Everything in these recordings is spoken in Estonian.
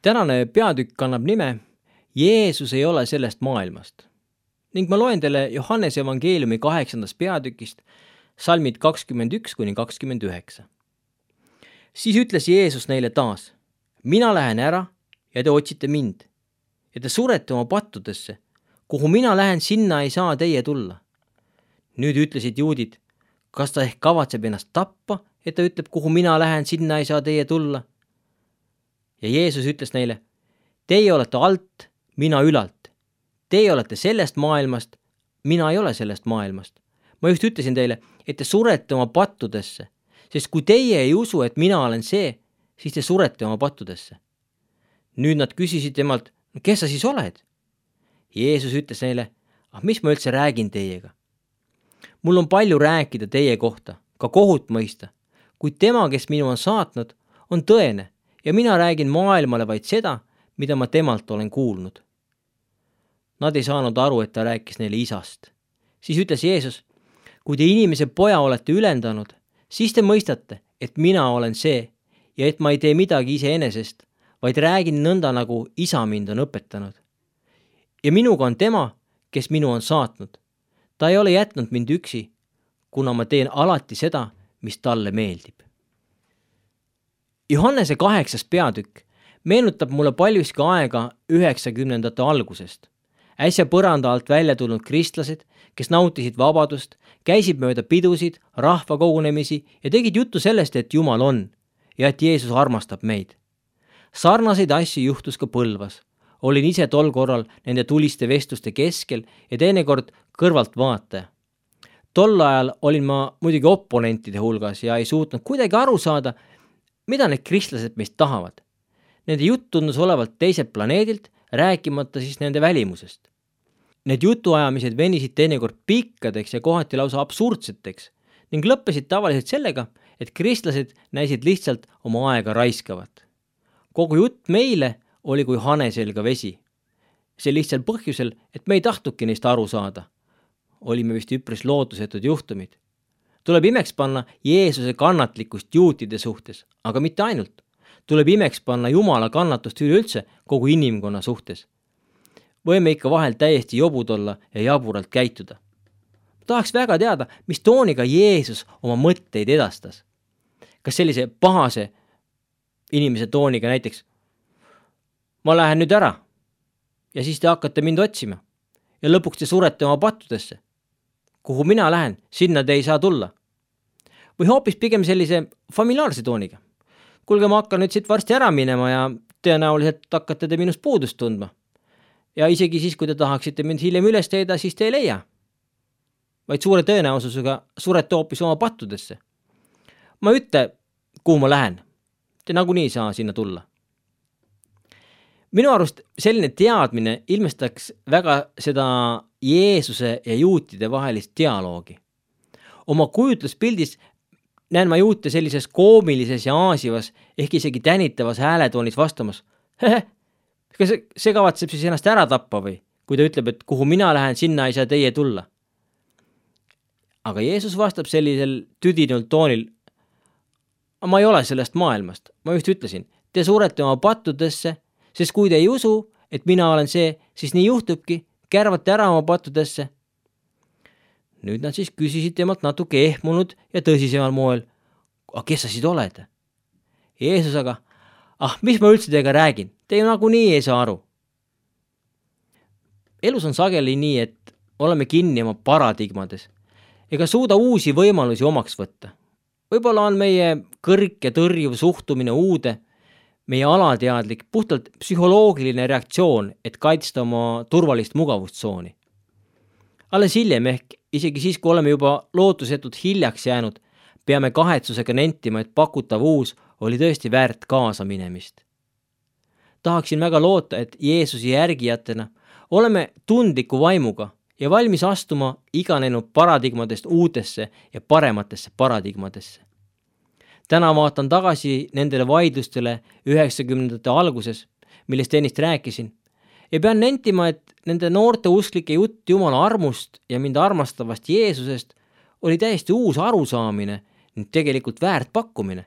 Tänane peatükk kannab nime Jeesus ei ole sellest maailmast ning ma loen teile Johannese evangeeliumi 8. peatükist salmid 21–29. Siis ütles Jeesus neile taas: mina lähen ära ja te otsite mind ja te surete oma pattudesse. Kuhu mina lähen, sinna ei saa teie tulla. Nüüd ütlesid juudid: kas ta ehk kavatseb ennast tappa, et ta ütleb, kuhu mina lähen, sinna ei saa teie tulla? Ja Jeesus ütles neile: teie olete alt, mina ülalt. Teie olete sellest maailmast, mina ei ole sellest maailmast. Ma just ütlesin teile, et te surete oma pattudesse, sest kui teie ei usu, et mina olen see, siis te surete oma pattudesse. Nüüd nad küsisid temalt: kes sa siis oled? Jeesus ütles neile: mis ma üldse räägin teiega? Mul on palju rääkida teie kohta, ka kohut mõista, kuid tema, kes minu on saatnud, on tõene ja mina räägin maailmale vaid seda, mida ma temalt olen kuulnud. Nad ei saanud aru, et ta rääkis neile isast. Siis ütles Jeesus: kui te inimese poja olete ülendanud, siis te mõistate, et mina olen see ja et ma ei tee midagi iseenesest, vaid räägin nõnda, nagu isa mind on õpetanud. Ja minuga on tema, kes minu on saatnud. Ta ei ole jätnud mind üksi, kuna ma teen alati seda, mis talle meeldib. Johannese 8. peatükk meenutab mulle paljuski aega 90ndate algusest. Äsja põranda alt välja tulnud kristlased, kes nautisid vabadust, käisid mööda pidusid, rahvakogunemisi ja tegid juttu sellest, et Jumal on ja et Jeesus armastab meid. Sarnaseid asju juhtus ka Põlvas. Olin ise tol korral nende tuliste vestluste keskel ja teinekord kõrvalt vaataja. Tol ajal olin ma muidugi oponentide hulgas ja ei suutnud kuidagi aru saada, mida need kristlased meist tahavad. Nende jutt tundus olevat teiselt planeedilt, rääkimata siis nende välimusest. Need jutuajamised venisid teinekord pikkadeks ja kohati lausa absurdseteks ning lõppesid tavaliselt sellega, et kristlased näisid lihtsalt oma aega raiskavat. Kogu jutt meile oli kui hane selga vesi. See lihtsal põhjusel, et me ei tahtnudki neist aru saada. Olime vist üpris lootusetud juhtumid. Tuleb imeks panna Jeesuse kannatlikkust juutide suhtes, aga mitte ainult. Tuleb imeks panna Jumala kannatust üleüldse kogu inimkonna suhtes. Võime ikka vahel täiesti jobud olla ja jaburalt käituda. Tahaks väga teada, mis tooniga Jeesus oma mõtteid edastas. Kas sellise pahase inimese tooniga näiteks: ma lähen nüüd ära ja siis te hakkate mind otsima ja lõpuks te surete oma pattudesse. Kuhu mina lähen, sinna te ei saa tulla. Või hoopis pigem sellise familiaarse tooniga: kuulge, ma hakkan nüüd siit varsti ära minema ja tõenäoliselt hakkate te minust puudust tundma. Ja isegi siis, kui te tahaksite mind hiljem üles leida, siis te ei leia. Vaid suure tõenäosusega surete hoopis oma pattudesse. Ma ütle, kuhu ma lähen. Te nagunii ei saa sinna tulla. Minu arust selline teadmine ilmestaks väga seda Jeesuse ja juutide vahelist dialoogi. Oma kujutluspildis näen ma juute sellises koomilises ja aasivas ehk isegi tänitavas hääletoonis vastamas: kas see kavatseb siis ennast ära tappa või, kui ta ütleb, et kuhu mina lähen, sinna ei saa teie tulla. Aga Jeesus vastab sellisel tüdinult toonil: ma ei ole sellest maailmast, ma just ütlesin, te surete oma pattudesse, sest kui te ei usu, et mina olen see, siis nii juhtubki, kärvate ära oma pattudesse. Nüüd nad siis küsisid temalt natuke ehmunud ja tõsisemal moel: kes sa siis oled? Jeesus aga: mis ma üldse teiega räägin, te ju nagunii ei saa aru. Elus on sageli nii, et oleme kinni oma paradigmades ega suuda uusi võimalusi omaks võtta. Võib-olla on meie kõrk ja tõrjuv suhtumine uude, meie alateadlik, puhtalt psühholoogiline reaktsioon, et kaitsta oma turvalist mugavustsooni. Alles hiljem ehk isegi siis, kui oleme juba lootusetult hiljaks jäänud, peame kahetsusega nentima, et pakutav uus oli tõesti väärt kaasa minemist. Tahaksin väga loota, et Jeesuse järgijatena oleme tundliku vaimuga ja valmis astuma iganenud paradigmadest uutesse ja parematesse paradigmadesse. Täna vaatan tagasi nendele vaidlustele 90ndate alguses, millest ennist rääkisin, ja pean nentima, et nende noorte usklike jutt Jumala armust ja mind armastavast Jeesusest oli täiesti uus arusaamine ning tegelikult väärt pakkumine.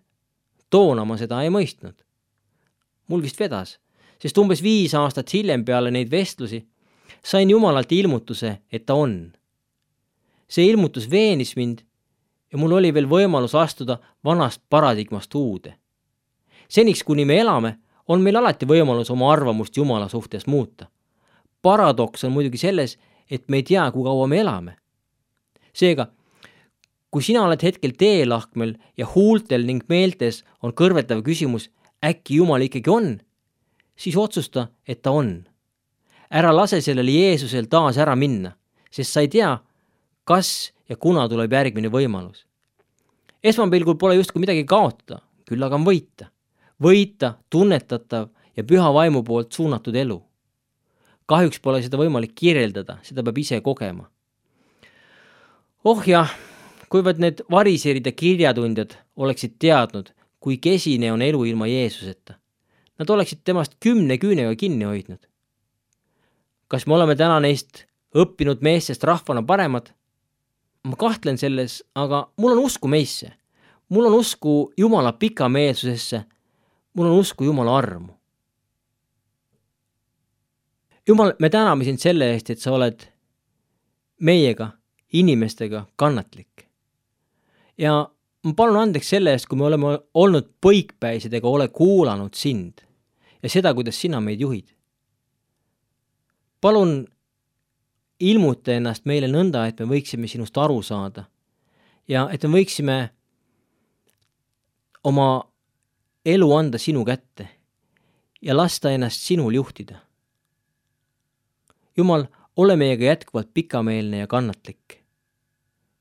Toona ma seda ei mõistnud. Mul vist vedas, sest umbes 5 aastat hiljem peale neid vestlusi sain Jumalalt ilmutuse, et ta on. See ilmutus veenis mind ja mul oli veel võimalus astuda vanast paradigmast uude. Seniks, kuni me elame, on meil alati võimalus oma arvamust Jumala suhtes muuta. Paradoks on muidugi selles, et me ei tea, kui kaua me elame. Seega, kui sina oled hetkel teelahkmel ja huultel ning meeltes on kõrvetav küsimus, äkki Jumal ikkagi on, siis otsusta, et ta on. Ära lase sellele Jeesusel taas ära minna, sest sa ei tea, kas ja kuna tuleb järgmine võimalus. Esmapilgul pole justkui midagi kaotada, küll aga on võita. Võita, tunnetatav ja püha vaimu poolt suunatud elu. Kahjuks pole seda võimalik kirjeldada, seda peab ise kogema. Oh jah, kuivõrd need variserid ja kirjatundjad oleksid teadnud, kui kesine on elu ilma Jeesuseta. Nad oleksid temast 10 küünega kinni hoidnud. Kas me oleme täna neist õppinud meestest rahvana paremad? Ma kahtlen selles, aga mul on usku meisse. Mul on usku Jumala pikameelsusesse. Mul on usku Jumala armu. Jumal, me täname sind selle eest, et sa oled meiega, inimestega kannatlik. Ja ma palun andeks selle eest, kui me oleme olnud põikpäised ega ole kuulanud sind ja seda, kuidas sina meid juhid. Palun ilmuta ennast meile nõnda, et me võiksime sinust aru saada ja et me võiksime oma elu anda sinu kätte ja lasta ennast sinul juhtida. Jumal, ole meiega jätkuvalt pikameelne ja kannatlik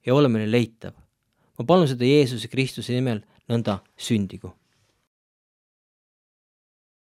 ja ole meile leitav. Ma palun seda Jeesuse Kristuse nimel nõnda sündigu.